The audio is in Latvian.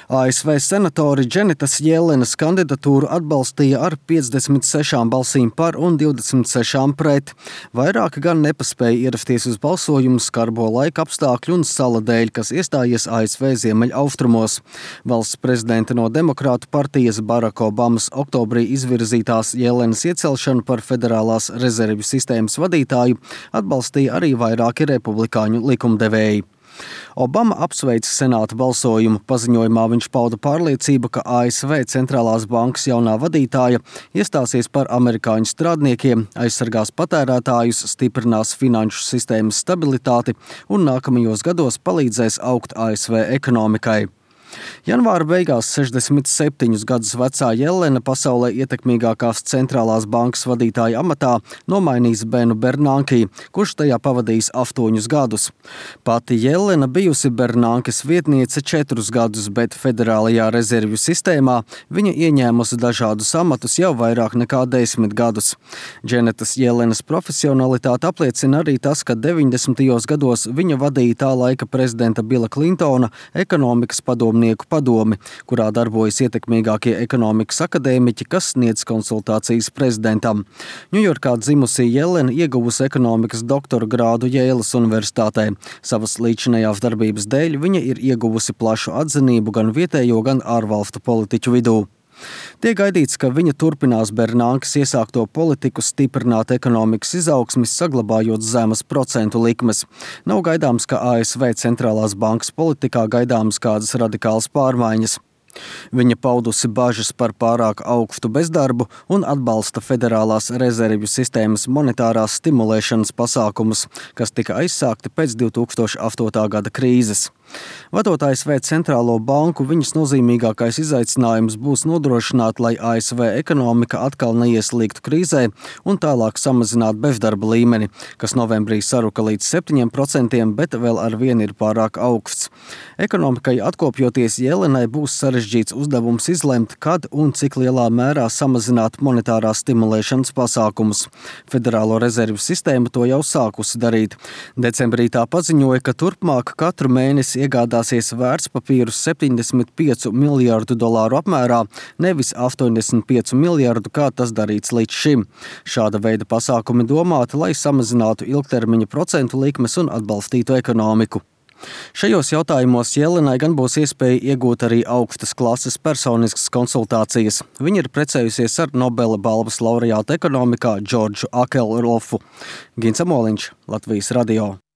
ASV senatori Dženetas Jellenas kandidatūru atbalstīja ar 56 balsīm par un 26 pret. Vairāki gan nepaspēja ierasties uz balsojumu skarbo laika apstākļu un sala dēļ, kas iestājies ASV ziemeļaustrumos. Valsts prezidenta no Demokrātu partijas Baraka Obamas oktobrī izvirzītās Jellenas iecelšanu par federālās rezervju sistēmas vadītāju atbalstīja arī vairāki republikāņu likumdevēji. Obama apsveica senāta balsojumu. Paziņojumā viņš pauda pārliecību, ka ASV centrālās bankas jaunā vadītāja iestāsies par amerikāņu strādniekiem, aizsargās patērētājus, stiprinās finanšu sistēmas stabilitāti un nākamajos gados palīdzēs augt ASV ekonomikai. Janvāra beigās 67 gadus vecā Jellena pasaulē ietekmīgākās centrālās bankas vadītāja amatā nomainīs Benu Bernanke, kurš tajā pavadījis 8 gadus. Pati Jellena bijusi Bernankes vietniece 4 gadus, bet federālajā rezervju sistēmā viņa ieņēmusi dažādus amatus jau vairāk nekā 10 gadus. Dženetas Jellenas profesionalitāti apliecina arī tas, ka 90. gados viņa vadīja tā laika prezidenta Bila Klintona ekonomikas padomi, kurā darbojas ietekmīgākie ekonomikas akadēmiķi, kas sniedz konsultācijas prezidentam. Ņujorkā dzimusī Jellena ieguvusi ekonomikas doktora grādu Jēlas universitātē. Savas līdzinējās darbības dēļ viņa ir ieguvusi plašu atzinību gan vietējo, gan ārvalstu politiķu vidū. Tiek gaidīts, ka viņa turpinās Bernankes iesākto politiku stiprināt ekonomikas izaugsmi, saglabājot zemes procentu likmes. Nav gaidāms, ka ASV centrālās bankas politikā gaidāmas kādas radikālas pārmaiņas. Viņa paudusi bažas par pārāk augstu bezdarbu un atbalsta federālās rezervju sistēmas monetārās stimulēšanas pasākumus, kas tika aizsākti pēc 2008. gada krīzes. Vadot ASV centrālo banku, viņas nozīmīgākais izaicinājums būs nodrošināt, lai ASV ekonomika atkal neieslīgtu krīzē un tālāk samazināt bezdarba līmeni, kas novembrī saruka līdz 7%, bet vēl ar vienu ir pārāk augsts. Ekonomikai atkopjoties, Jellenai būs sarežģīts uzdevums izlemt, kad un cik lielā mērā samazināt monetārās stimulēšanas pasākumus. Federālo rezervju sistēma to jau sākusi darīt. Decembrī tā paziņoja, ka turpmāk katru mēnesi iegādāsies vērtspapīrus $75 miljārdu apmērā, nevis 85 miljardu, kā tas darīts līdz šim. Šāda veida pasākumi domāti, lai samazinātu ilgtermiņa procentu likmes un atbalstītu ekonomiku. Šajos jautājumos Jellenai gan būs iespēja iegūt arī augstas klases personiskas konsultācijas. Viņa ir precējusies ar Nobela balvas laureātu ekonomikā Džordžu Akelrofu. Gins Amoliņš, Latvijas radio.